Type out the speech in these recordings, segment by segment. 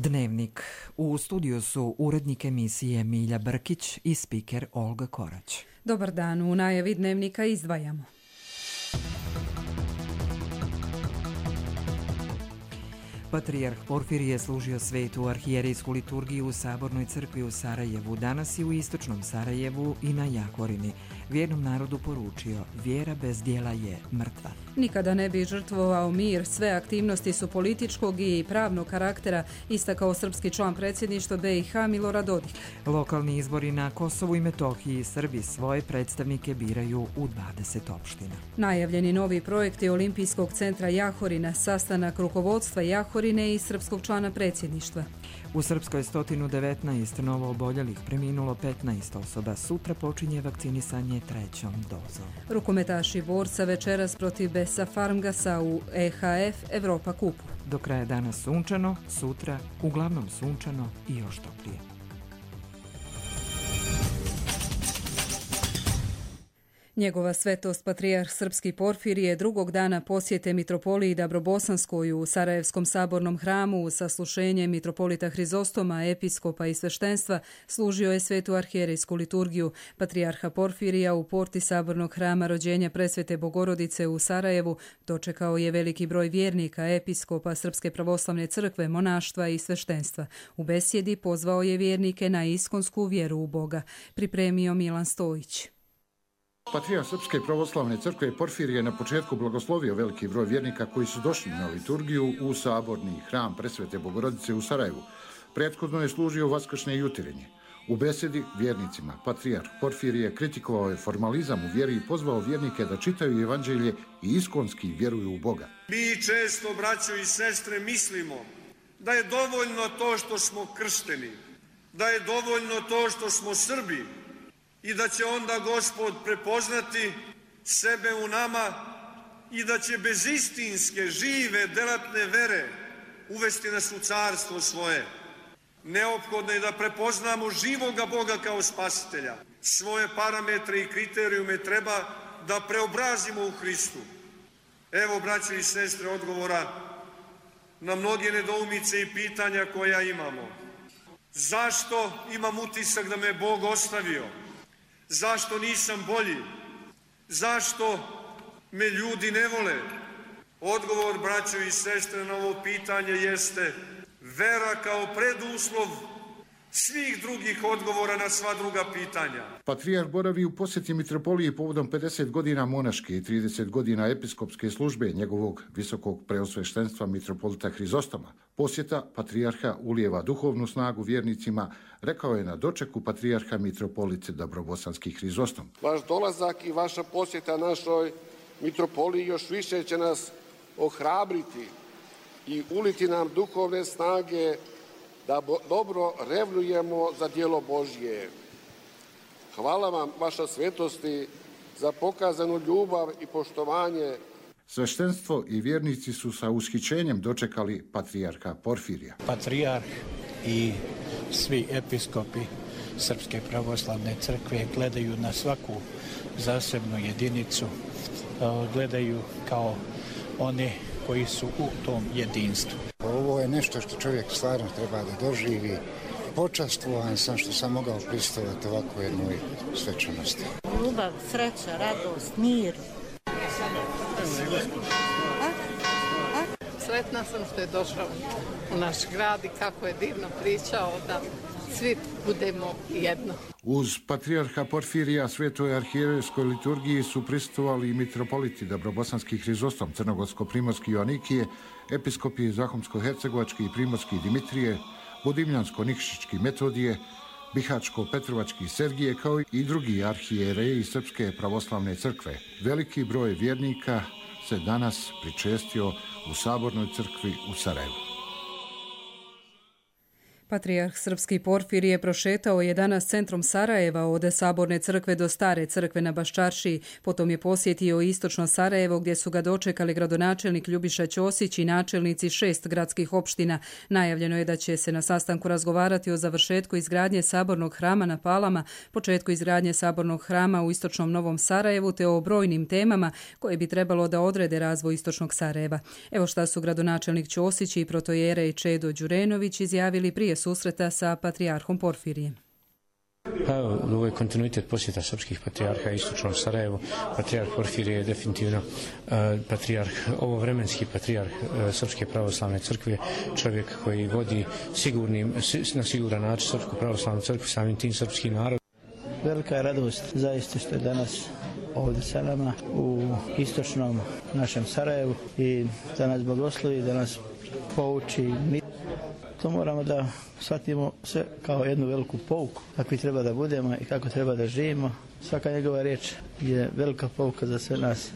Dnevnik. U studiju su urednik emisije Milja Brkić i spiker Olga Korać. Dobar dan, u najavi Dnevnika izdvajamo. Patrijarh Porfirije služio svetu arhijerejsku liturgiju u Sabornoj crkvi u Sarajevu, danas i u istočnom Sarajevu i na Jahorini. Vjernom narodu poručio, vjera bez djela je mrtva. Nikada ne bi žrtvovao mir, sve aktivnosti su političkog i pravnog karaktera, istakao srpski član predsjedništva BiH Milorad Dodik. Lokalni izbori na Kosovu i Metohiji, Srbi svoje predstavnike biraju u 20 opština. Najavljeni novi projekti Olimpijskog centra Jahorina, sastanak rukovodstva Jahorine i srpskog člana predsjedništva. U Srpskoj 119 novo oboljelih, preminulo 15 osoba. Sutra počinje vakcinisanje 3. dozom. Rukometaši borca večeras protiv Besa Farmgasa u EHF Evropa kupu. Do kraja dana sunčano, sutra uglavnom sunčano i još toplije. Njegova svetost patrijarh srpski Porfirije drugog dana posjete mitropoliji Dabrobosanskoj u Sarajevskom sabornom hramu uz saslušenje mitropolita Hrizostoma, episkopa i sveštenstva služio je svetu arhijerejsku liturgiju. Patrijarha Porfirija u porti sabornog hrama rođenja Presvete Bogorodice u Sarajevu dočekao je veliki broj vjernika, episkopa Srpske pravoslavne crkve, monaštva i sveštenstva. U besjedi pozvao je vjernike na iskonsku vjeru u Boga. Pripremio Milan Stojić. Patrijarh Srpske pravoslavne crkve Porfirije na početku blagoslovio veliki broj vjernika koji su došli na liturgiju u saborni hram Presvete Bogorodice u Sarajevu. Prethodno je služio vaskršnje juterenje. U besedi vjernicima Patrijarh Porfirije kritikovao je formalizam u vjeri i pozvao vjernike da čitaju evanđelje i iskonski vjeruju u Boga. Mi često, braćo i sestre, mislimo da je dovoljno to što smo kršteni, da je dovoljno to što smo Srbi, i da će onda Gospod prepoznati sebe u nama i da će bez istinske, žive, delatne vere uvesti nas u carstvo svoje. Neophodno je da prepoznamo živoga Boga kao spasitelja. Svoje parametre i kriterijume treba da preobrazimo u Hristu. Evo, braćo i sestre, odgovora na mnoge nedoumice i pitanja koja imamo. Zašto imam utisak da me Bog ostavio? Zašto nisam bolji? Zašto me ljudi ne vole? Odgovor, braćo i sestre, na ovo pitanje jeste vera kao preduslov svih drugih odgovora na sva druga pitanja. Patrijarh boravi u posjeti mitropoliji povodom 50 godina monaške i 30 godina episkopske službe njegovog visokog preosveštenstva mitropolita Hrizostoma. Posjeta patrijarha ulijeva duhovnu snagu vjernicima, rekao je na dočeku patrijarha mitropolite Dabrobosanski Hrizostom. Vaš dolazak i vaša posjeta našoj mitropoliji još više će nas ohrabriti i uliti nam duhovne snage da dobro revnujemo za djelo Božje. Hvala vam, vaša svetosti, za pokazanu ljubav i poštovanje. Sveštenstvo i vjernici su sa ushićenjem dočekali patrijarha Porfirija. Patrijarh i svi episkopi Srpske pravoslavne crkve gledaju na svaku zasebnu jedinicu, gledaju kao one koji su u tom jedinstvu. Ovo je nešto što čovjek stvarno treba da doživi. Počastvovan sam što sam mogao prisustvovati ovako jednoj svečanosti. Ljubav, sreća, radost, mir. Sretna sam što je došao u naš grad i kako je divno pričao da svi budemo jedno. Uz patrijarha Porfirija svetoj arhijerejskoj liturgiji su prisustvovali i mitropoliti Dabrobosanski Hrizostom, Crnogorsko-primorski Joanikije, episkopi Zahumsko-hercegovački i primorski Dimitrije, Budimljansko-nikšićki Metodije, Bihačko-petrovački Sergije, kao i drugi arhijereji Srpske pravoslavne crkve. Veliki broj vjernika se danas pričestio u Sabornoj crkvi u Sarajevu. Patrijarh srpski Porfirije prošetao je danas centrom Sarajeva od Saborne crkve do Stare crkve na Baščaršiji. Potom je posjetio istočno Sarajevo gdje su ga dočekali gradonačelnik Ljubiša Ćosić i načelnici 6 gradskih opština. Najavljeno je da će se na sastanku razgovarati o završetku izgradnje Sabornog hrama na Palama, početku izgradnje Sabornog hrama u istočnom Novom Sarajevu te o brojnim temama koje bi trebalo da odrede razvoj istočnog Sarajeva. Evo šta su gradonačelnik Ćosić i protojere Čedo Đurenović izjavili prije susreta sa patrijarhom Porfirijem. Ovo je kontinuitet posjeta srpskih patrijarha istočnom Sarajevu. Patrijarh Porfirije je definitivno ovovremenski patrijarh Srpske pravoslavne crkve, čovjek koji vodi na siguran način Srpsku pravoslavnu crkvu, samim tim srpski narod. Velika je radost zaista što je danas ovdje sa nama u istočnom našem Sarajevu i da nas blagoslovi, da nas pouči. To moramo da shvatimo sve kao jednu veliku pouku, kakvi treba da budemo i kako treba da živimo. Svaka njegova riječ je velika pouka za sve nas.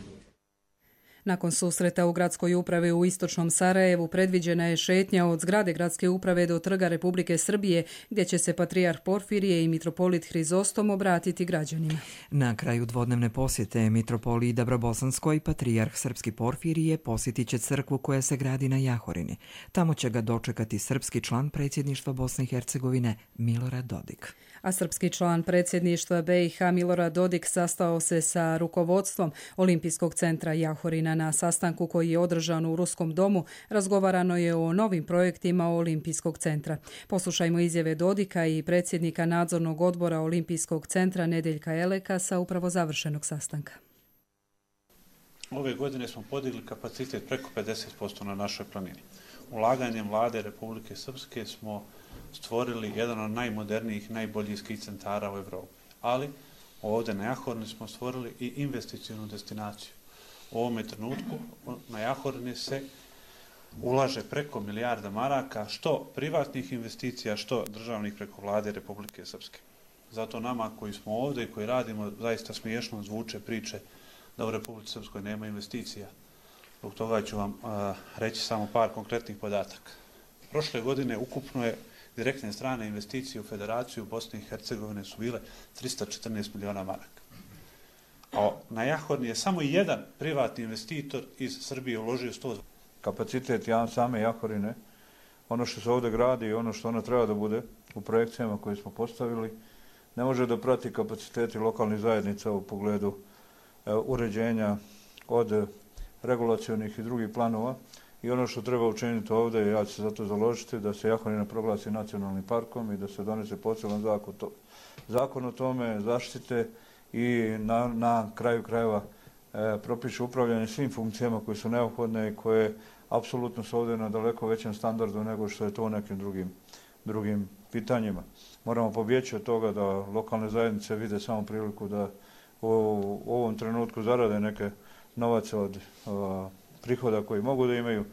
Nakon susreta u gradskoj upravi u istočnom Sarajevu predviđena je šetnja od zgrade gradske uprave do Trga Republike Srbije, gdje će se patrijarh Porfirije i mitropolit Hrizostom obratiti građanima. Na kraju dvodnevne posjete mitropoliji Dabrobosanskoj patrijarh srpski Porfirije posjetit će crkvu koja se gradi na Jahorini. Tamo će ga dočekati srpski član predsjedništva Bosne i Hercegovine Milorad Dodik. A srpski član predsjedništva BiH Milorad Dodik sastao se sa rukovodstvom Olimpijskog centra Jahorina. Na sastanku koji je održan u Ruskom domu razgovarano je o novim projektima Olimpijskog centra. Poslušajmo izjave Dodika i predsjednika nadzornog odbora Olimpijskog centra Nedeljka Eleka sa upravo završenog sastanka. Ove godine smo podigli kapacitet preko 50% na našoj planini. Ulaganjem vlade Republike Srpske smo stvorili jedan od najmodernijih, najboljih skij centara u Evropi. Ali ovdje na Jahorini smo stvorili i investicionu destinaciju. U ovome trenutku na Jahorini se ulaže preko milijarda maraka, što privatnih investicija, što državnih preko vlade Republike Srpske. Zato nama koji smo ovdje i koji radimo, zaista smiješno zvuče priče da u Republici Srpskoj nema investicija. Zbog toga ću vam reći samo par konkretnih podataka. Prošle godine ukupno je direktne strane investicije u Federaciju Bosne i Hercegovine su bile 314 miliona maraka. A na Jahorini je samo jedan privatni investitor iz Srbije uložio 100. Kapacitet same Jahorine, ono što se ovdje gradi i ono što ona treba da bude u projekcijama koje smo postavili, ne može da prati kapaciteti lokalnih zajednica u pogledu uređenja od regulacionih i drugih planova. I ono što treba učiniti ovdje, ja ću se za to založiti, da se Jahorina proglasi nacionalnim parkom i da se donese poseban zakon o tome, zaštite i na kraju krajeva propiše upravljanje svim funkcijama koje su neophodne i koje apsolutno su ovdje na daleko većem standardu nego što je to u nekim drugim pitanjima. Moramo pobjeći od toga da lokalne zajednice vide samo priliku da u ovom trenutku zarade neke novace od prihoda koji mogu da imaju,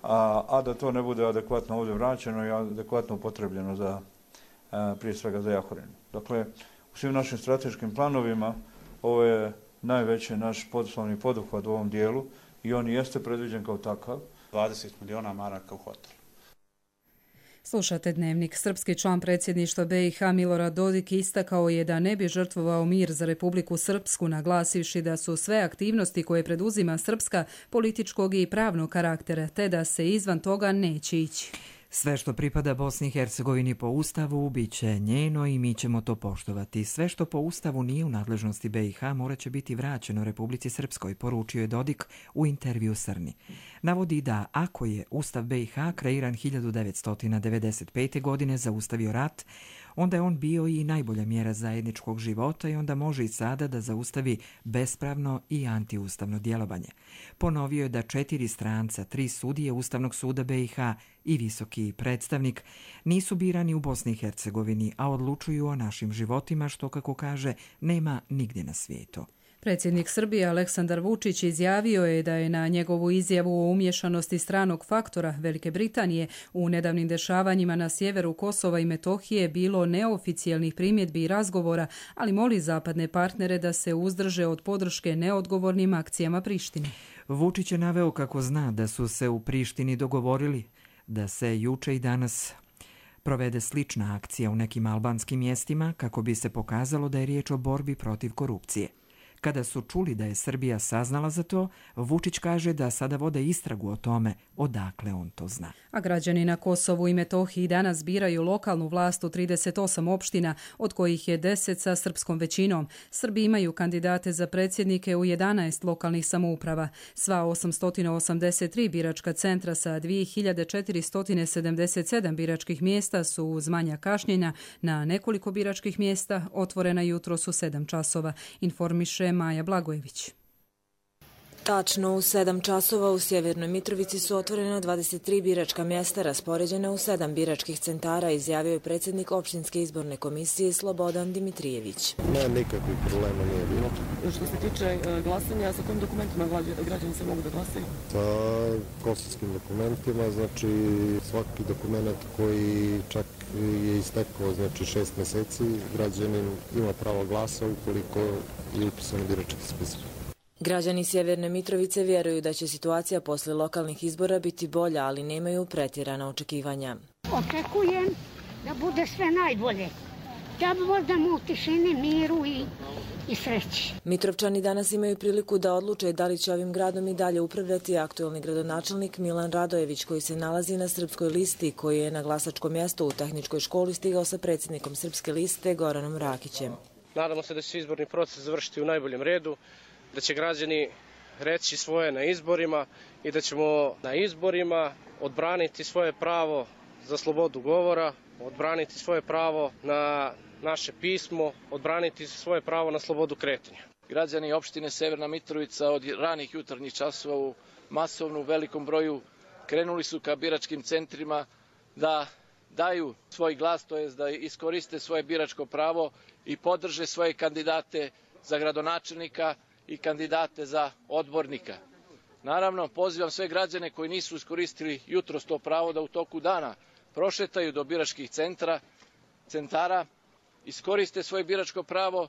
a da to ne bude adekvatno ovdje vraćeno i adekvatno upotrebljeno za, prije svega za Jahorinu. Dakle, u svim našim strateškim planovima ovo je najveći naš poslovni poduhvat u ovom dijelu i on jeste predviđen kao takav. 20 miliona maraka u hotelu. Slušate Dnevnik. Srpski član predsjedništva BiH Milorad Dodik istakao je da ne bi žrtvovao mir za Republiku Srpsku, naglasivši da su sve aktivnosti koje preduzima Srpska političkog i pravnog karaktera, te da se izvan toga neće ići. Sve što pripada Bosni i Hercegovini po Ustavu bit će njeno i mi ćemo to poštovati. Sve što po Ustavu nije u nadležnosti BiH morat će biti vraćeno Republici Srpskoj, poručio je Dodik u intervju Srni. Navodi da ako je Ustav BiH kreiran 1995. godine zaustavio rat, onda je on bio i najbolja mjera zajedničkog života i onda može i sada da zaustavi bespravno i antiustavno djelovanje. Ponovio je da 4 stranca, 3 sudije Ustavnog suda BiH i visoki predstavnik nisu birani u Bosni i Hercegovini, a odlučuju o našim životima, što, kako kaže, nema nigdje na svijetu. Predsjednik Srbije Aleksandar Vučić izjavio je da je na njegovu izjavu o umješanosti stranog faktora Velike Britanije u nedavnim dešavanjima na sjeveru Kosova i Metohije bilo neoficijalnih primjedbi i razgovora, ali moli zapadne partnere da se uzdrže od podrške neodgovornim akcijama Prištine. Vučić je naveo kako zna da su se u Prištini dogovorili da se juče i danas provede slična akcija u nekim albanskim mjestima kako bi se pokazalo da je riječ o borbi protiv korupcije. Kada su čuli da je Srbija saznala za to, Vučić kaže da sada vode istragu o tome odakle on to zna. A građani na Kosovu i Metohiji danas biraju lokalnu vlast u 38 opština, od kojih je 10 sa srpskom većinom. Srbi imaju kandidate za predsjednike u 11 lokalnih samouprava. Sva 883 biračka centra sa 2477 biračkih mjesta su uz manja kašnjenja na nekoliko biračkih mjesta otvorena jutros u 7 časova, informiše Maja Blagojević. Tačno u 7 časova u Sjevernoj Mitrovici su otvorena 23 biračka mjesta raspoređena u 7 biračkih centara, izjavio je predsjednik opštinske izborne komisije Slobodan Dimitrijević. Nikakvih problema nije bilo. Što se tiče glasanja, sa kojim dokumentima građani se mogu da glasaju? Sa kosovskim dokumentima, znači svaki dokument koji čak je istekao, znači 6 mjeseci, građanin ima pravo glasa ukoliko je upisan u birački spisak. Građani Sjeverne Mitrovice vjeruju da će situacija posle lokalnih izbora biti bolja, ali nemaju pretjerana očekivanja. Očekujem da bude sve najbolje. Da budemo u tišini, miru i sreći. Mitrovčani danas imaju priliku da odluče da li će ovim gradom i dalje upravljati aktuelni gradonačelnik Milan Radojević, koji se nalazi na srpskoj listi, koji je na glasačko mjesto u tehničkoj školi stigao sa predsjednikom srpske liste Goranom Rakićem. Nadamo se da će izborni proces završiti u najboljem redu, da će građani reći svoje na izborima i da ćemo na izborima odbraniti svoje pravo za slobodu govora, odbraniti svoje pravo na naše pismo, odbraniti svoje pravo na slobodu kretanja. Građani opštine Severna Mitrovica od ranih jutarnjih časova u masovnom velikom broju krenuli su ka biračkim centrima da daju svoj glas, to jest da iskoriste svoje biračko pravo i podrže svoje kandidate za gradonačelnika i kandidate za odbornika. Naravno, pozivam sve građane koji nisu iskoristili jutros to pravo da u toku dana prošetaju do biračkih centara, iskoriste svoje biračko pravo.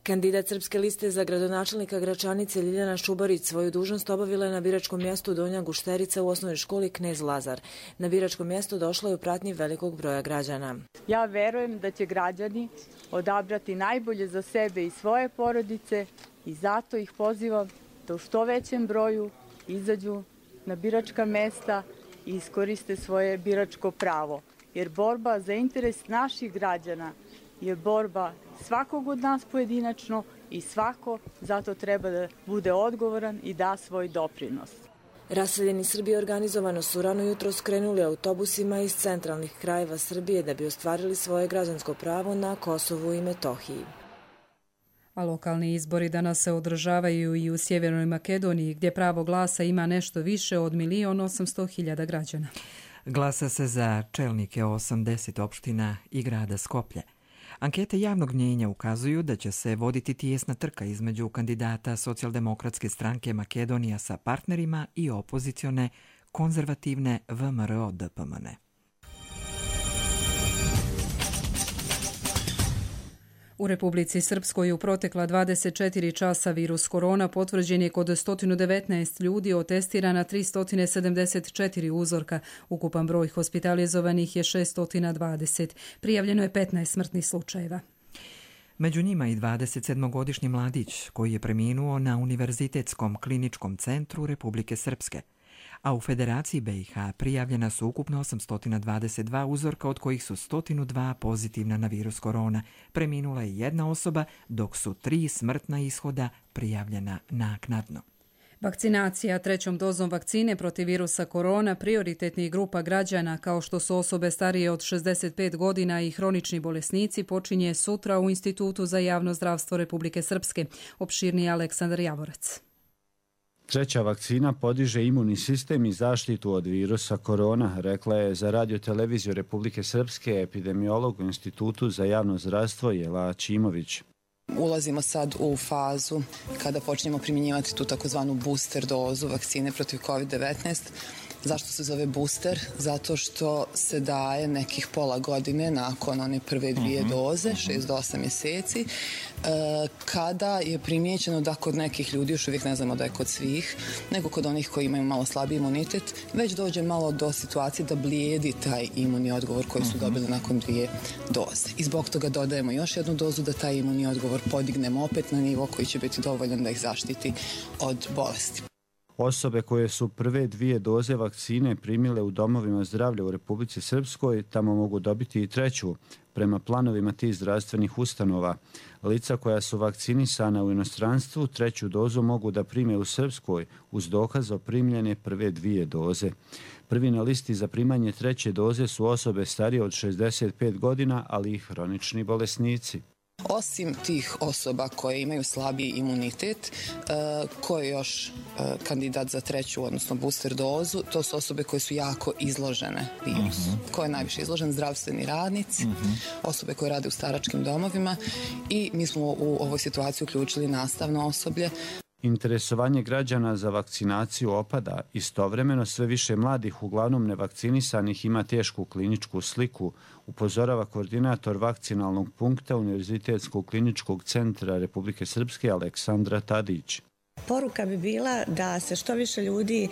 Kandidat srpske liste za gradonačelnika Gračanice Ljiljana Šubarić svoju dužnost obavila je na biračkom mjestu Donja Gušterica u osnovnoj školi Knez Lazar. Na biračko mjesto došla je u pratnji velikog broja građana. Ja verujem da će građani odabrati najbolje za sebe i svoje porodice i zato ih pozivam da u što većem broju izađu na biračka mjesta i iskoriste svoje biračko pravo. Jer borba za interes naših građana je borba svakog od nas pojedinačno i svako zato treba da bude odgovoran i da svoj doprinos. Raseljeni Srbi organizovano su rano jutro skrenuli autobusima iz centralnih krajeva Srbije da bi ostvarili svoje građansko pravo na Kosovu i Metohiji. A lokalni izbori danas se održavaju i u Sjevernoj Makedoniji, gdje pravo glasa ima nešto više od 1.800.000 građana. Glasa se za čelnike 80 opština i grada Skoplje. Ankete javnog mnjenja ukazuju da će se voditi tijesna trka između kandidata Socijaldemokratske stranke Makedonija sa partnerima i opozicione konzervativne VMRO-DPMN. U Republici Srpskoj u protekla 24 časa virus korona potvrđen je kod 119 ljudi, otestirana 374 uzorka. Ukupan broj hospitalizovanih je 620. Prijavljeno je 15 smrtnih slučajeva. Među njima i 27-godišnji mladić koji je preminuo na Univerzitetskom kliničkom centru Republike Srpske. A u Federaciji BiH prijavljena su ukupno 822 uzorka, od kojih su 102 pozitivna na virus korona. Preminula je jedna osoba, dok su 3 smrtna ishoda prijavljena naknadno. Vakcinacija 3. dozom vakcine protiv virusa korona prioritetnih grupa građana, kao što su osobe starije od 65 godina i hronični bolesnici, počinje sutra u Institutu za javno zdravstvo Republike Srpske. Opširniji Aleksandar Javorac. 3. vakcina podiže imunni sistem i zaštitu od virusa korona, rekla je za Radio-televiziju Republike Srpske epidemiolog u Institutu za javno zdravstvo Jela Čimović. Ulazimo sad u fazu kada počnemo primjenjivati tu takozvanu booster dozu vakcine protiv COVID-19 Zašto se zove booster? Zato što se daje nekih pola godine nakon one prve 2 doze, 6 do 8 mjeseci, kada je primijećeno da kod nekih ljudi, još uvijek ne znamo da je kod svih, nego kod onih koji imaju malo slabiji imunitet, već dođe malo do situacije da blijedi taj imunni odgovor koji su dobili nakon 2 doze. I zbog toga dodajemo još jednu dozu da taj imunni odgovor podignemo opet na nivo koji će biti dovoljan da ih zaštiti od bolesti. Osobe koje su prve 2 doze vakcine primile u domovima zdravlja u Republici Srpskoj tamo mogu dobiti i 3. prema planovima tih zdravstvenih ustanova. Lica koja su vakcinisana u inostranstvu 3. dozu mogu da prime u Srpskoj uz dokaz o primljene prve 2 doze. Prvi na listi za primanje 3. doze su osobe starije od 65 godina, ali i hronični bolesnici. Osim tih osoba koje imaju slabiji imunitet, ko je još kandidat za 3. odnosno booster dozu, to su osobe koje su jako izložene virusu. Ko je najviše izložen? Zdravstveni radnici, osobe koje rade u staračkim domovima i mi smo u ovoj situaciji uključili nastavno osoblje. Interesovanje građana za vakcinaciju opada. Istovremeno sve više mladih, uglavnom nevakcinisanih, ima tešku kliničku sliku, upozorava koordinator vakcinalnog punkta Univerzitetskog kliničkog centra Republike Srpske Aleksandra Tadić. Poruka bi bila da se što više ljudi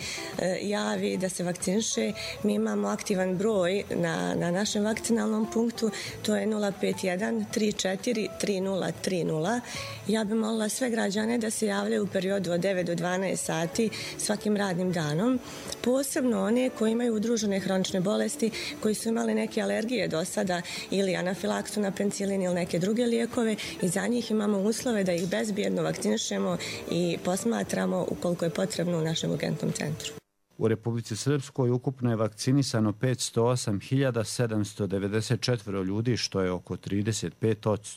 javi, da se vakciniše. Mi imamo aktivan broj na našem vakcinalnom punktu, to je 051 34 3030. Ja bih molila sve građane da se javljaju u periodu od 9 do 12 sati svakim radnim danom. Posebno one koji imaju udružene hronične bolesti, koji su imali neke alergije do sada ili anafilaksu na penicilin ili neke druge lijekove i za njih imamo uslove da ih bezbjedno vakcinišemo i posmatramo ukoliko je potrebno u našem urgentnom centru. U Republici Srpskoj ukupno je vakcinisano 508.794 ljudi, što je oko 35%.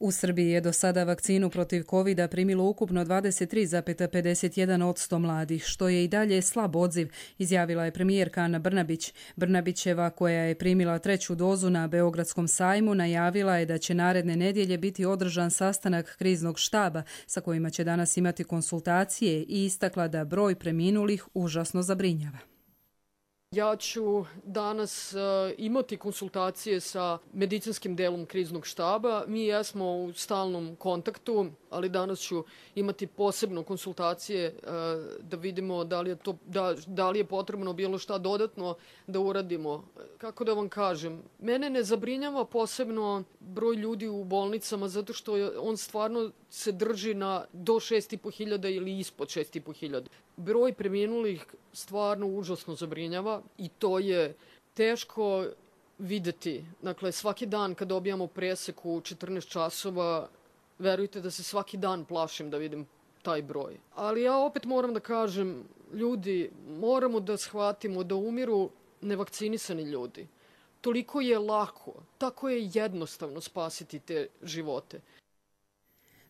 U Srbiji je do sada vakcinu protiv COVID-a primilo ukupno 23,51% mladih, što je i dalje slab odziv, izjavila je premijerka Ana Brnabić. Brnabićeva, koja je primila 3. dozu na Beogradskom sajmu, najavila je da će naredne nedjelje biti održan sastanak kriznog štaba sa kojima će danas imati konsultacije i istakla da broj preminulih užasno zabrinjava. Ja ću danas imati konsultacije sa medicinskim delom kriznog štaba. Mi jesmo u stalnom kontaktu, ali danas ću imati posebno konsultacije da vidimo da li je potrebno bilo šta dodatno da uradimo. Kako da vam kažem, mene ne zabrinjava posebno broj ljudi u bolnicama zato što on stvarno se drži do 6.500 ili ispod 6.500. Broj preminulih stvarno užasno zabrinjava i to je teško videti. Dakle, svaki dan kad dobijamo presek u 14 časova, verujte da se svaki dan plašim da vidim taj broj. Ali ja opet moram da kažem, ljudi, moramo da shvatimo da umiru nevakcinisani ljudi. Toliko je lako, tako je jednostavno spasiti te živote.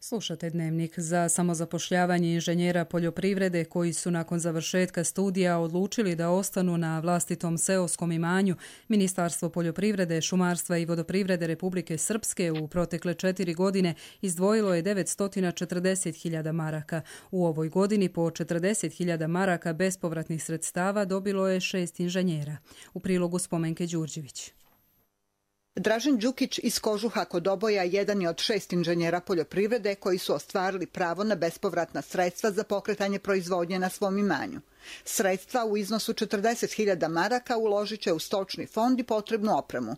Slušate Dnevnik. Za samozapošljavanje inženjera poljoprivrede koji su nakon završetka studija odlučili da ostanu na vlastitom seoskom imanju, Ministarstvo poljoprivrede, šumarstva i vodoprivrede Republike Srpske u protekle 4 godine izdvojilo je 940.000 maraka. U ovoj godini po 40.000 maraka bespovratnih sredstava dobilo je 6 inženjera. U prilogu Spomenke Đurđević. Dražen Đukić iz Kožuha kod Oboja jedan je od 6 inženjera poljoprivrede koji su ostvarili pravo na bespovratna sredstva za pokretanje proizvodnje na svom imanju. Sredstva u iznosu 40.000 maraka uložit će u stočni fond i potrebnu opremu.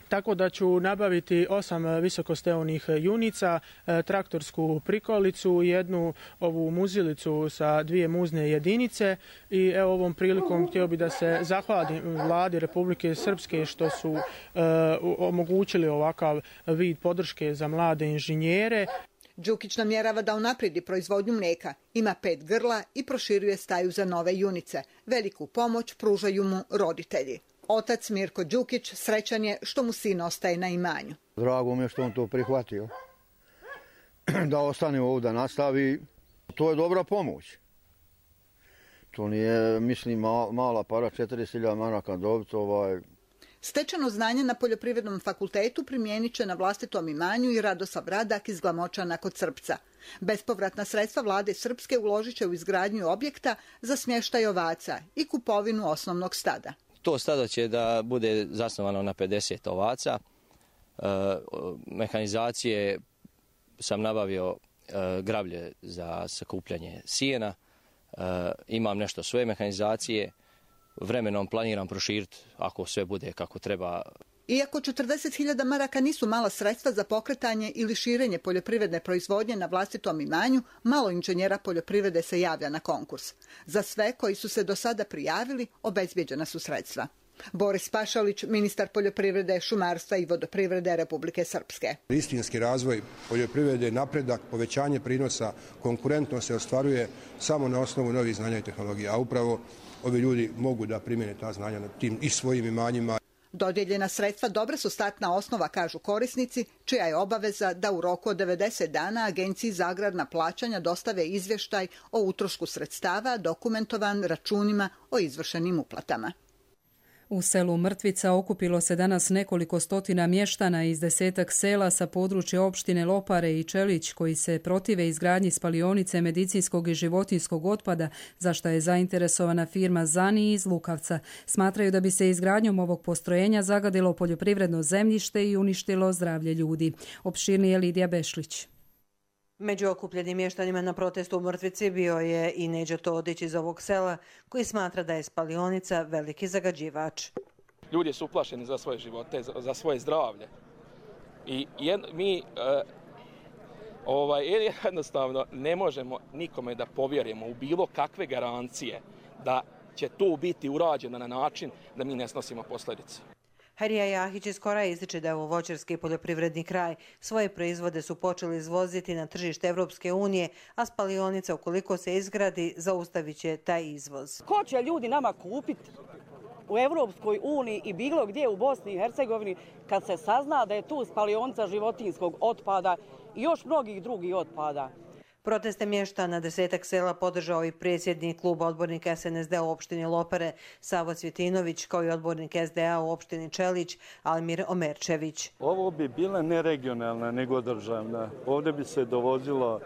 Tako da ću nabaviti 8 visokosteonih junica, traktorsku prikolicu, jednu ovu muzilicu sa 2 muzne jedinice i evo ovom prilikom htio bi da se zahvalim vladi Republike Srpske što su omogućili ovakav vid podrške za mlade inženjere. Đukić namjerava da unaprijedi proizvodnju mlijeka, ima 5 grla i proširuje staju za nove junice. Veliku pomoć pružaju mu roditelji. Otac Mirko Đukić srećan je što mu sin ostaje na imanju. Drago mi je što on to prihvatio. Da ostane ovdje, da nastavi. To je dobra pomoć. To nije, mislim, mala para, 40.000 maraka dobiti. Stečeno znanje na Poljoprivrednom fakultetu primijenit će na vlastitom imanju i Radosav Radak iz Glamočana kod Srpca. Bespovratna sredstva vlade Srpske uložit će u izgradnju objekta za smještaj ovaca i kupovinu osnovnog stada. To stado će da bude zasnovano na 50 ovaca. Mehanizacije sam nabavio grablje za sakupljanje sijena. Imam nešto svoje mehanizacije. Vremenom planiram proširiti ako sve bude kako treba. Iako 40.000 maraka nisu mala sredstva za pokretanje ili širenje poljoprivredne proizvodnje na vlastitom imanju, malo inženjera poljoprivrede se javlja na konkurs. Za sve koji su se do sada prijavili, obezbjeđena su sredstva. Boris Pašalić, ministar poljoprivrede, šumarstva i vodoprivrede Republike Srpske. Istinski razvoj poljoprivrede, napredak, povećanje prinosa, konkurentno se ostvaruje samo na osnovu novih znanja i tehnologija, a upravo ovi ljudi mogu da primjene ta znanja na tim i svojim imanjima. Dodijeljena sredstva dobra su startna osnova, kažu korisnici, čija je obaveza da u roku od 90 dana Agenciji za agrarna plaćanja dostave izvještaj o utrošku sredstava dokumentovan računima o izvršenim uplatama. U selu Mrtvica okupilo se danas nekoliko stotina mještana iz 10-ak sela sa područja opštine Lopare i Čelić koji se protive izgradnji spalionice medicinskog i životinjskog otpada, za što je zainteresovana firma Zani iz Lukavca. Smatraju da bi se izgradnjom ovog postrojenja zagadilo poljoprivredno zemljište i uništilo zdravlje ljudi. Opširnije Lidija Bešlić. Među okupljenim mještanima na protestu u Mrtvici bio je i Neđo Todić iz ovog sela, koji smatra da je spalionica veliki zagađivač. Ljudi su uplašeni za svoje živote, za svoje zdravlje. I mi jednostavno ne možemo nikome da povjerujemo u bilo kakve garancije da će to biti urađeno na način da mi ne snosimo posljedice. Herija Jahić iz Kora ističe da je ovo voćarski poljoprivredni kraj. Svoje proizvode su počeli izvoziti na tržište Evropske unije, a spalionica, ukoliko se izgradi, zaustavit će taj izvoz. Ko će ljudi nama kupiti u Evropskoj uniji i bilo gdje u Bosni i Hercegovini kad se sazna da je tu spalionica životinjskog otpada i još mnogih drugih otpada? Proteste mještana 10-ak sela podržao i predsjednik kluba odbornika SNSD u opštini Lopare Savo Cvjetinović, kao i odbornik SDA u opštini Čelić Almir Omerčević. Ovo bi bila ne regionalna nego državna. Ovdje bi se dovozilo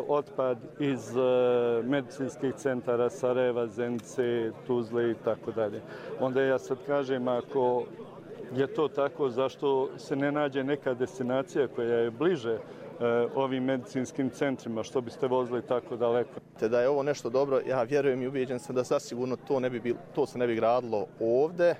otpad iz medicinskih centara Sarajeva, Zenice, Tuzle i tako dalje. Onda ja sad kažem, ako je to tako, zašto se ne nađe neka destinacija koja je bliže ovim medicinskim centrima, što biste vozili tako daleko. Da je ovo nešto dobro, ja vjerujem i ubijeđen sam da zasigurno to se ne bi gradilo ovdje.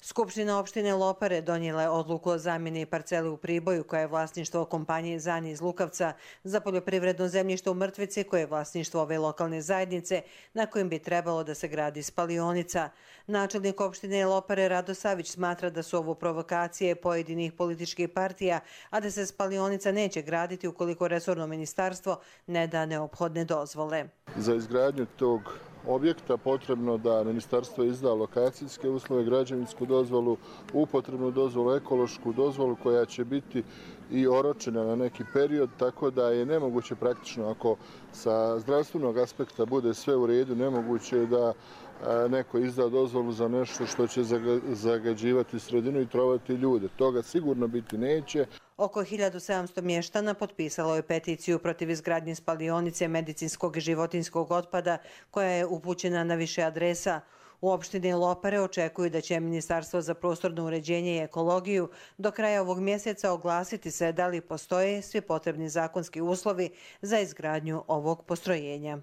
Skupština opštine Lopare donijela je odluku o zamjeni parcele u Priboju, koja je vlasništvo kompanije Zani iz Lukavca, za poljoprivredno zemljište u Mrtvici, koje je vlasništvo ove lokalne zajednice, na kojem bi trebalo da se gradi spalionica. Načelnik opštine Lopare Rado Savić smatra da su ovo provokacije pojedinih političkih partija, a da se spalionica neće graditi ukoliko resorno ministarstvo ne da neophodne dozvole. Za izgradnju tog objekta potrebno da ministarstvo izda lokacijske uslove, građevinsku dozvolu, upotrebnu dozvolu, ekološku dozvolu koja će biti i oročena na neki period, tako da je nemoguće praktično, ako sa zdravstvenog aspekta bude sve u redu, nemoguće je da neko izda dozvolu za nešto što će zagađivati sredinu i trovati ljude. Toga sigurno biti neće. Oko 1700 mještana potpisalo je peticiju protiv izgradnje spalionice medicinskog i životinjskog otpada, koja je upućena na više adresa. U opštini Lopare očekuju da će Ministarstvo za prostorno uređenje i ekologiju do kraja ovog mjeseca oglasiti se da li postoje svi potrebni zakonski uslovi za izgradnju ovog postrojenja.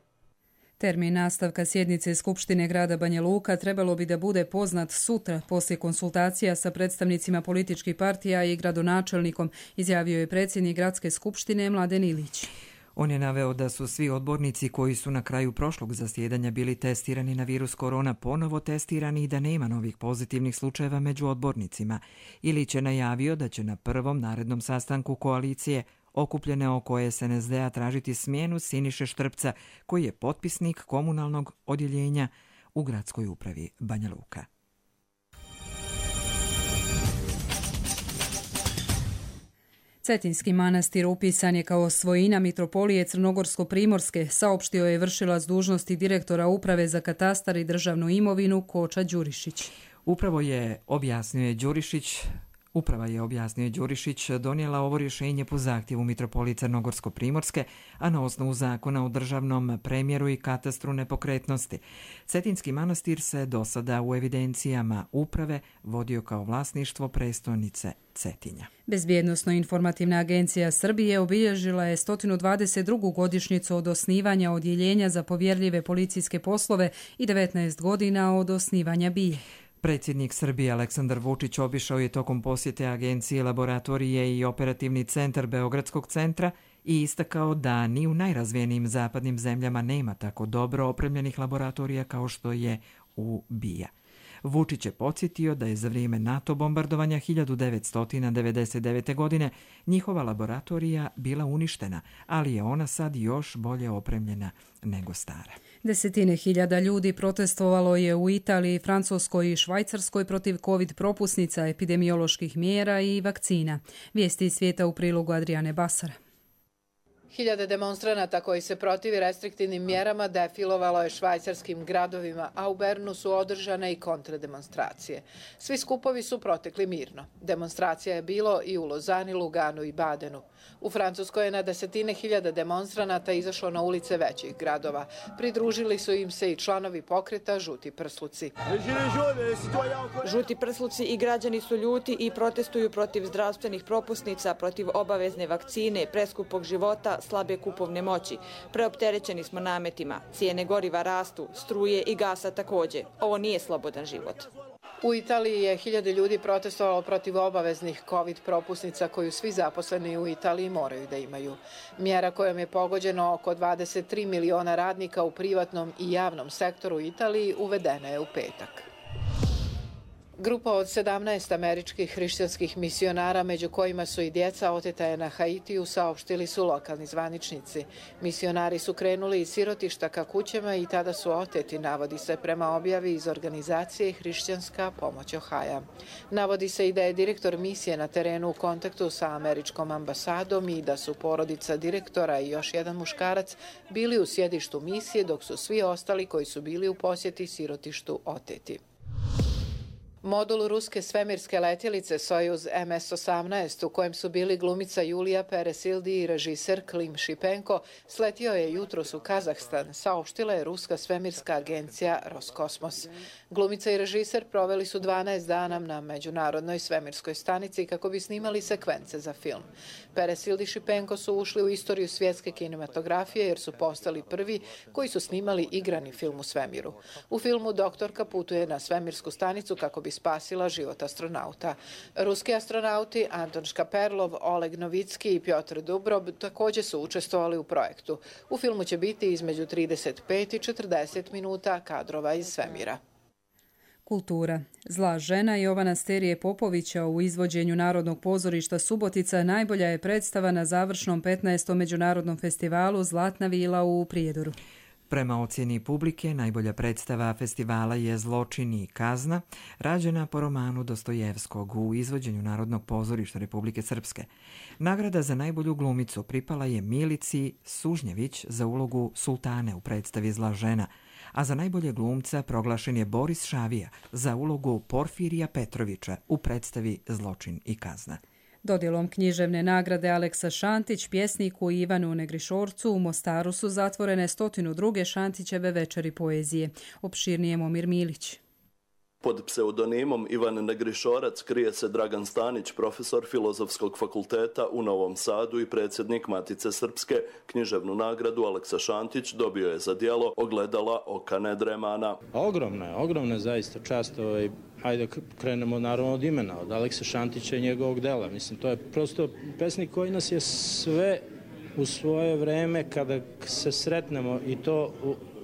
Termin nastavka sjednice Skupštine grada Banja Luka trebalo bi da bude poznat sutra poslije konsultacija sa predstavnicima političkih partija i gradonačelnikom, izjavio je predsjednik gradske skupštine Mladen Ilić. On je naveo da su svi odbornici koji su na kraju prošlog zasjedanja bili testirani na virus korona ponovo testirani i da nema novih pozitivnih slučajeva među odbornicima. Ilić je najavio da će na prvom narednom sastanku koalicije okupljene oko SNSD-a tražiti smjenu Siniše Štrpca, koji je potpisnik komunalnog odjeljenja u gradskoj upravi Banja Luka. Cetinski manastir upisan je kao svojina Mitropolije Crnogorsko-Primorske, saopštio je vršilac dužnosti direktora Uprave za katastar i državnu imovinu Koča Đurišić. Uprava je, objasnio Đurišić, donijela ovo rješenje po zahtjevu Mitropolije Crnogorsko-Primorske, a na osnovu zakona o državnom premjeru i katastru nepokretnosti. Cetinski manastir se do sada u evidencijama uprave vodio kao vlasništvo prestonice Cetinja. Bezbjednosno-informativna agencija Srbije obilježila je 122. godišnjicu od osnivanja odjeljenja za povjerljive policijske poslove i 19 godina od osnivanja BIA. Predsjednik Srbije Aleksandar Vučić obišao je tokom posjete agencije laboratorije i operativni centar Beogradskog centra i istakao da ni u najrazvijenijim zapadnim zemljama nema tako dobro opremljenih laboratorija kao što je u BIA. Vučić je podsjetio da je za vrijeme NATO bombardovanja 1999. godine njihova laboratorija bila uništena, ali je ona sad još bolje opremljena nego stara. Desetine hiljada ljudi protestovalo je u Italiji, Francuskoj i Švajcarskoj protiv COVID propusnica, epidemioloških mjera i vakcina. Vijesti iz svijeta u prilogu Adriane Basara. Hiljade demonstranata koji se protivi restriktivnim mjerama defilovalo je švajcarskim gradovima, a u Bernu su održane i kontrademonstracije. Svi skupovi su protekli mirno. Demonstracija je bilo i u Lozani, Luganu i Badenu. U Francuskoj je na desetine hiljada demonstranata izašlo na ulice većih gradova. Pridružili su im se i članovi pokreta Žuti prsluci. Žuti prsluci i građani su ljuti i protestuju protiv zdravstvenih propusnica, protiv obavezne vakcine, preskupog života, slabe kupovne moći. Preopterećeni smo nametima, cijene goriva rastu, struje i gasa također. Ovo nije slobodan život. U Italiji je hiljade ljudi protestovalo protiv obaveznih COVID propusnica koju svi zaposleni u Italiji moraju da imaju. Mjera kojom je pogođeno oko 23 miliona radnika u privatnom i javnom sektoru u Italiji uvedena je u petak. Grupa od 17 američkih hrišćanskih misionara, među kojima su i djeca, oteta je na Haitiju, saopštili su lokalni zvaničnici. Misionari su krenuli iz sirotišta ka kućama i tada su oteti, navodi se prema objavi iz organizacije Hrišćanska pomoć Ohaja. Navodi se i da je direktor misije na terenu u kontaktu sa američkom ambasadom i da su porodica direktora i još jedan muškarac bili u sjedištu misije, dok su svi ostali koji su bili u posjeti sirotištu oteti. Modul ruske svemirske letjelice Sojuz MS-18, u kojem su bili glumica Julija Peresildi i režiser Klim Šipenko, sletio je jutros u Kazahstan, saopštila je ruska svemirska agencija Roskosmos. Glumica i režiser proveli su 12 dana na međunarodnoj svemirskoj stanici kako bi snimali sekvence za film. Peresildi i Šipenko su ušli u istoriju svjetske kinematografije jer su postali prvi koji su snimali igrani film u svemiru. U filmu doktorka putuje na svemirsku stanicu kako bi spasila život astronauta. Ruski astronauti Anton Škaperlov, Oleg Novicki i Pjotr Dubrov također su učestvovali u projektu. U filmu će biti između 35 i 40 minuta kadrova iz svemira. Kultura. Zla žena Jovana Sterije Popovića u izvođenju Narodnog pozorišta Subotica najbolja je predstava na završnom 15. međunarodnom festivalu Zlatna vila u Prijedoru. Prema ocjeni publike, najbolja predstava festivala je Zločin i kazna, rađena po romanu Dostojevskog u izvođenju Narodnog pozorišta Republike Srpske. Nagrada za najbolju glumicu pripala je Milici Sužnjević za ulogu Sultane u predstavi Zla žena, a za najbolje glumca proglašen je Boris Šavija za ulogu Porfirija Petrovića u predstavi Zločin i kazna. Dodjelom književne nagrade Aleksa Šantić, pjesniku Ivanu Negrišorcu u Mostaru su zatvorene 102. Šantićeve večeri poezije. Opširnije Momir Milić. Pod pseudonimom Ivan Negrišorac krije se Dragan Stanić, profesor Filozofskog fakulteta u Novom Sadu i predsjednik Matice Srpske. Književnu nagradu Aleksa Šantić dobio je za djelo Ogledala oka nedremana. Ogromna je zaista čast. Ajde krenemo naravno od imena, od Aleksa Šantića i njegovog dela. Mislim, to je prosto pesnik koji nas je sve u svoje vreme kada se sretnemo i to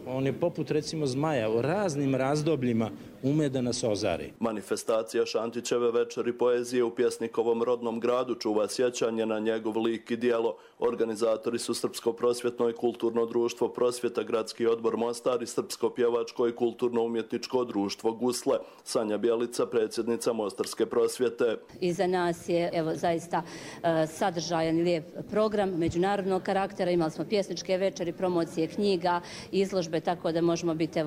on je poput recimo zmaja u raznim razdobljima ume da nas ozari. Manifestacija Šantićeve večeri poezije u pjesnikovom rodnom gradu čuva sjećanje na njegov lik i djelo. Organizatori su Srpsko prosvjetno i kulturno društvo Prosvjeta, Gradski odbor Mostar i Srpsko pjevačko i kulturno-umjetničko društvo Gusle. Sanja Bjelica, predsjednica Mostarske prosvjete. Iza nas je zaista sadržajan i lijep program međunarodnog karaktera. Imali smo pjesničke večeri, promocije knjiga, izložbe, tako da možemo biti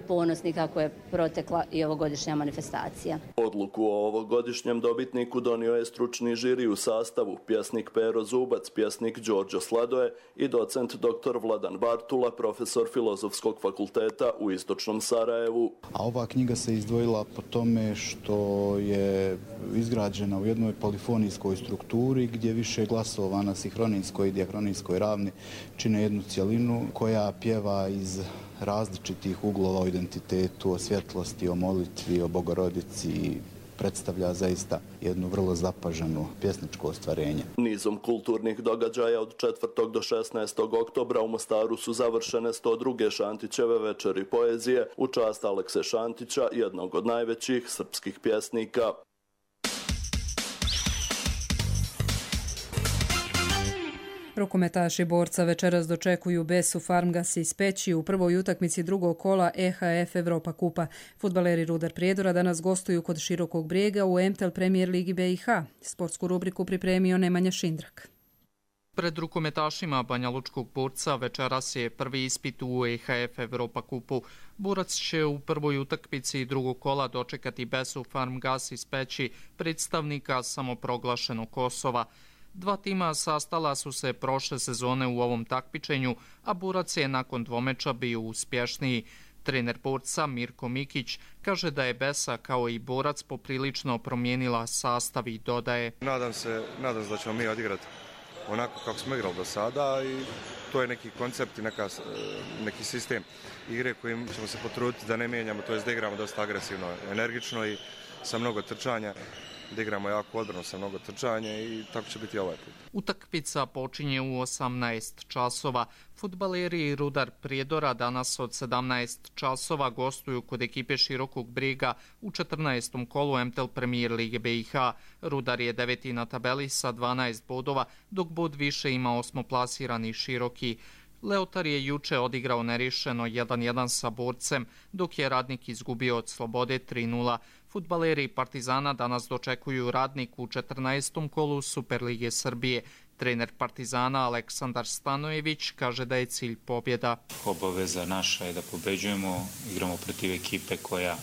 ponosni kako je je protekla i ovogodišnja manifestacija. Odluku o ovogodišnjem dobitniku donio je stručni žiri u sastavu pjesnik Pero Zubac, pjesnik Đorđo Sladoje i docent dr. Vladan Bartula, profesor Filozofskog fakulteta u Istočnom Sarajevu. A ova knjiga se izdvojila po tome što je izgrađena u jednoj polifonijskoj strukturi gdje više glasova na sinhronijskoj i diahronijskoj ravni čine jednu cjelinu koja pjeva iz različitih uglova o identitetu, o svjetlosti, o molitvi, o Bogorodici, predstavlja zaista jednu vrlo zapaženu pjesničko ostvarenje. Nizom kulturnih događaja od 4. do 16. oktobra u Mostaru su završene 102. Šantićeve večeri poezije u čast Alekse Šantića, jednog od najvećih srpskih pjesnika. Rukometaši Borca večeras dočekuju Besu Farmgas iz Peći u prvoj utakmici drugog kola EHF Evropa kupa. Fudbaleri Rudar Prijedora danas gostuju kod Širokog Brijega u MTL Premier Ligi BiH. Sportsku rubriku pripremio Nemanja Šindrak. Pred rukometašima Banja Lučkog Borca večeras je prvi ispit u EHF Evropa kupu. Borac će u prvoj utakmici drugog kola dočekati Besu Farmgas iz Peći, predstavnika samoproglašenog Kosova. Dva tima sastala su se prošle sezone u ovom takmičenju, a Borac je nakon dvomeča bio uspješniji. Trener Borca Mirko Mikić kaže da je Besa kao i Borac poprilično promijenila sastav i dodaje: Nadam se da ćemo mi odigrati onako kako smo igrali do sada i to je neki koncept i neki sistem igre kojim ćemo se potruditi da ne mijenjamo, to je da igramo dosta agresivno, energično i sa mnogo trčanja. Da igramo jako odbranu sa mnogo trčanja i tako će biti ovaj put. Utakmica počinje u 18 časova. Fudbaleri Rudar Prijedora danas od 17 časova gostuju kod ekipe Širokog Brijega u 14. kolu MTL Premier Lige BiH. Rudar je 9. na tabeli sa 12 bodova, dok bod više ima osmoplasirani Široki. Leotar je juče odigrao nerješeno 1-1 sa Borcem, dok je Radnik izgubio od Slobode 3-0. Fudbaleri Partizana danas dočekuju Radnik u 14. kolu Superlige Srbije. Trener Partizana Aleksandar Stanojević kaže da je cilj pobjeda. Obaveza naša je da pobeđujemo, igramo protiv ekipe koja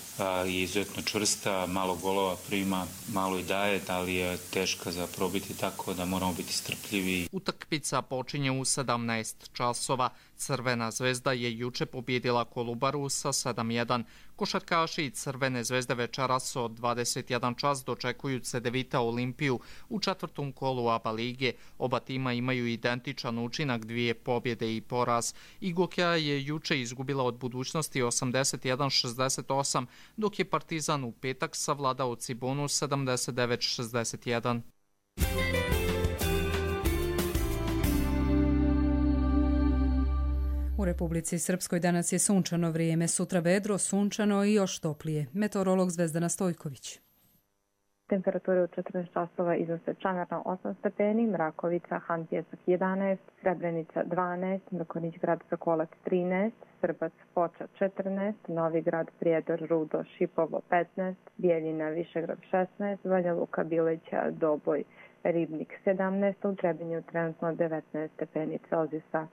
je izuzetno čvrsta, malo golova prima, malo i daje, ali je teška za probiti, tako da moramo biti strpljivi. Utakmica počinje u 17 časova. Crvena zvezda je juče pobjedila Kolubaru sa 7-1. Košarkaši Crvene zvezde večeras od 21 čas dočekuju Cedevita Olimpiju u 4. kolu ABA lige. Oba tima imaju identičan učinak, 2 pobjede i poraz. Igokja je juče izgubila od Budućnosti 81-68, dok je Partizan u petak savladao Cibonu 79-61. U Republici Srpskoj danas je sunčano vrijeme, sutra vedro, sunčano i još toplije. Meteorolog Zvezdana Stojković. Temperature u 14 časova iznose Čanarna 8 stepeni, Mrakovica, Han Pjesak 11, Srebrenica 12, Mrkonić grad Sokolac 13, Srbac Foča 14, Novi grad Prijedor, Rudo, Šipovo 15, Bijeljina, Višegrad 16, Banja Luka, Bileća, Doboj, Ribnik 17, u Trebinju trenutno 19 stepeni Celzijusa.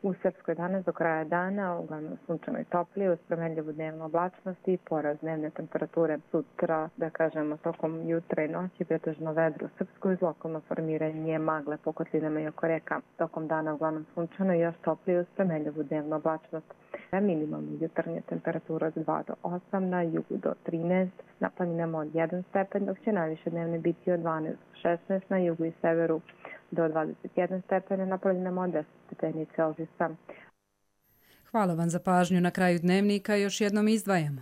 U Srpskoj danas do kraja dana uglavnom sunčano i toplije uz promenljivu dnevnu oblačnost i porast dnevne temperature. Sutra, da kažemo, tokom jutra i noći pretežno vedro u Srpskoj uz lokalno formiranje magle po kotlinama i oko reka. Tokom dana uglavnom sunčano i još toplije uz promenljivu dnevnu oblačnost. Minimalna jutarnja temperatura od 2 do 8, na jugu do 13, na planinama od 1 stepen, dok će najviše dnevne biti od 12 do 16, na jugu i severu do 21 stepena, na planinama od 10 stepeni Celzijusa. Hvala vam za pažnju. Na kraju dnevnika još jednom izdvajamo.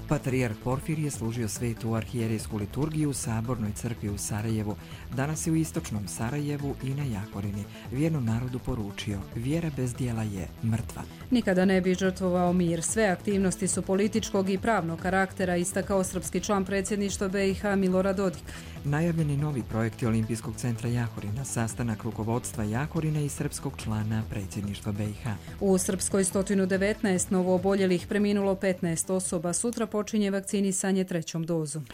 Patrijarh Porfirije služio svetu arhijerejsku liturgiju u Sabornoj crkvi u Sarajevu. Danas je u istočnom Sarajevu i na Jakorini. Vjernom narodu poručio: vjera bez djela je mrtva. Nikada ne bi žrtvovao mir. Sve aktivnosti su političkog i pravnog karaktera, istakao srpski član predsjedništva BiH Milorad Dodik. Najavljeni novi projekti Olimpijskog centra Jahorina, sastanak rukovodstva Jahorina i srpskog člana predsjedništva BiH. U Srpskoj 119 novooboljelih, preminulo 15 osoba. Sutra počinje vakcinisanje 3. dozom.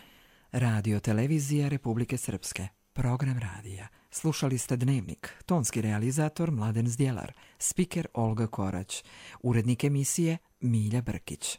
Radio televizija Republike Srpske. Program radija. Slušali ste Dnevnik, tonski realizator Mladen Zdjelar, spiker Olga Korać, urednik emisije Milja Brkić.